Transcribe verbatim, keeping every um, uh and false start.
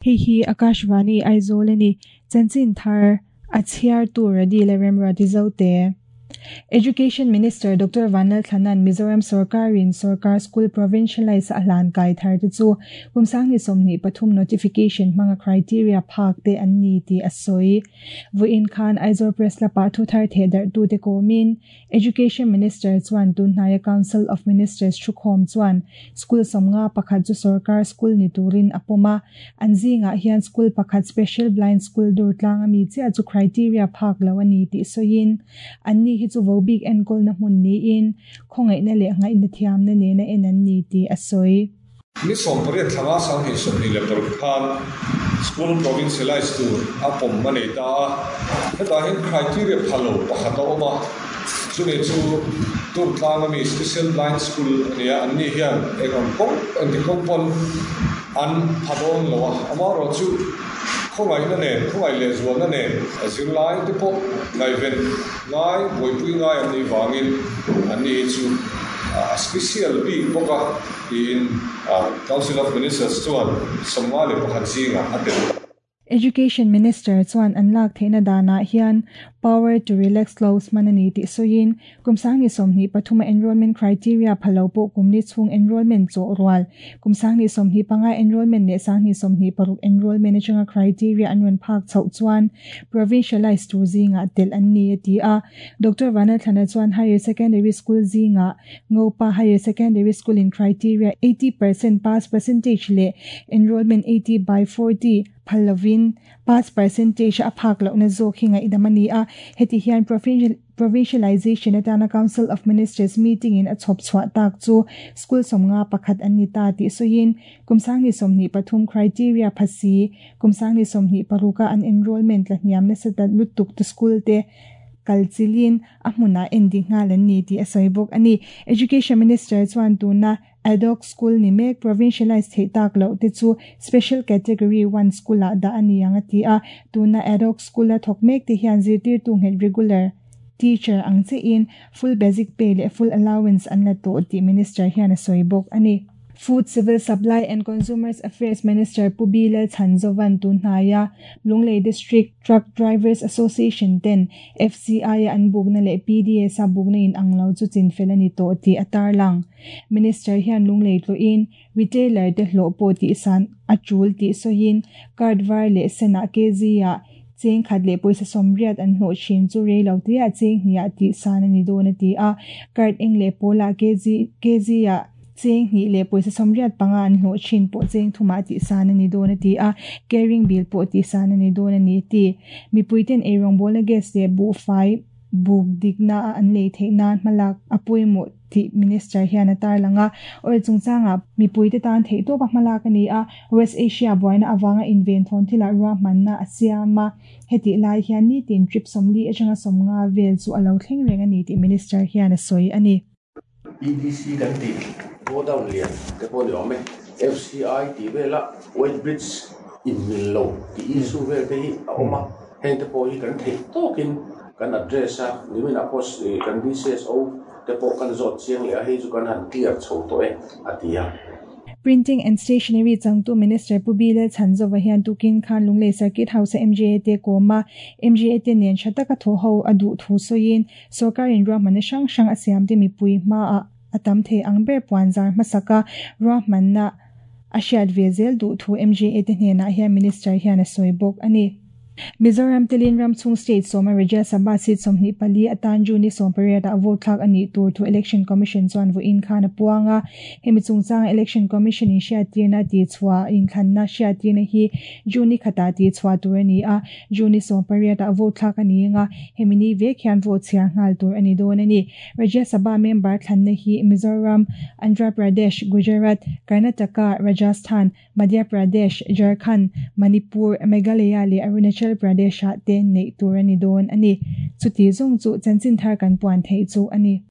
Hei hi Akashvani Aizawl ani chanchin thar a chhiar tur radi le remra ti zo te. Education Minister Doctor Vanlal Thanan Mizoram Sarkarin Sarkar School Provincialize ahlan kai thar te chu kumsang ni somni pathum notification manga criteria phak te an ni ti asoi voin khan Aizawl Press la pa thu thar the dar tu te komin Education Minister chuan tunhnaya Council of Ministers thukhom chuan school somnga pakhat chu Sarkar School ni turin apoma anzinga hian school pakhat special blind school dur tlang ami che chu criteria phak lo ani ti soin anni hi chu vobik en kol na mun ni in khongai na le ngai na thiam na ne na en an ni ti asoi ni som pariat thanga sang hi som ni le paruk khan school provincialized tur apom mane ta heta hin criteria phalo pakhata oma chune chu tur tlang ami special blind school ania anni hian ekon kong anti kong an phadon lowa amaro chu khongai na ne khongai le zual na ne zirlai te pawh ngai ven ngai buaipui ngai an ni wangin an ni chu special bik bawka tiin Council of Ministers chuan sawmnga leh pakhat zinga a tel. Education Minister chuan an lak theina dana hian power to relax laws manani ti soin kumsang ni somni pathuma enrollment criteria phalo po kumni chung enrollment cho rual kumsang ni somni panga enrollment ne sang ni somni paruk enrollment changa criteria anwan phak chau chuan provincialized tu zinga tel an ni ti a Doctor Vanal Thana chuan higher secondary school zinga Ngopa higher secondary school in criteria eighty percent pass percentage le enrollment eighty by forty phalovin pass percentage a phak lo na zo khinga idamani a heti hian provincial provincialization atana Council of Ministers meeting in a chop chwa tak chu school somnga pakhat anni ta ti soin kumsang ni somni pathum criteria phasi kumsang ni somni paruka an enrollment la hniam na sa lutuk to school te kalchilin ahmuna ending ngalan ni ti asoibok ani Education Minister chuan tuna ad hoc school ni mek provincialized thei tak lo te chu special category one school a da ani anga ti a tuna ad hoc school a thok mek te hian zirtir tu nget regular teacher ang che in full basic pay le full allowance an la to ti minister hian asoibok ani. Food, Civil Supply and Consumers Affairs Minister Pubila Chanzovan Tunhaya, Lunglei District Truck Drivers Association ten F C I an bugna le P D A sa bugna in anglo chu chin felani to ti atar lang. Minister hian Lunglei tlo in retailer te hlo po ti san achul ti soin card var le sena K Z ya cheng khat le poisa somriat an hlo chin chu re lo ti a cheng hnia ti san ani do na ti a card eng le pola K Z K Z ya cheng ni le poisa somriat panga an hlo chin po cheng thuma ti san ani do na ti a caring bill po ti san ani do na ni ti mi puiten erong bol na gas le bu fai buk dikna an le theina malak apui mo ti minister hian atar langa or chungchanga mi puite tan thei to pa malak ani a West Asia boina awanga invent thon thila ruwa manna asiama heti lai hian ni tin trip somli achanga somnga vel chu alo thleng reng ani ti minister hian a soi ani. P D C kan ti go down lian te pawh ni awm e F C I ti vela White Bridge in mil lo ti issue vel te hi a awm a heng te pawh hi kan thei tawkin kan address a nimin a post kan D C S O te pawh kan zawt chiang leh a hei chu kan han clear chho tawh e a ti a. Printing and Stationery changtu Minister Pubila Chanzova hian tukin khan Lunglei Circuit House M G A te koma M G A te nen thataka tho ho adu thu soin sarkarin ruahmanna hrang hrang a siam te mipui hma a atam the angber puanzar hmasaka ruahmanna a hriat ve zel duh thu M G A te hnenah hian Minister hian a sawi bawk ani. Mizoram Telin Ramchung State Soma Rajya Sabha seat somni pali atan Juni sompariat a vote thlak ani tur thu Election Commission chuan vo in khan a puanga hemi chungchang Election Commission in hriattirna ti chhuah in thlanna hriattirna hi Juni khata ti chhuah tur ani a Juni sompariat a vote thlak ani anga hemi ni vek hian vote chhiar nghal tur ani dawn ani. Rajya Sabha member thlanna hi Mizoram, Andhra Pradesh, Gujarat, Karnataka, Rajasthan, Madhya Pradesh, Jharkhand, Manipur, Meghalaya le Arunachal Pradesh te nei tur ani dawn ani chuti zong chu chanchin thar kan puan thei chu ani.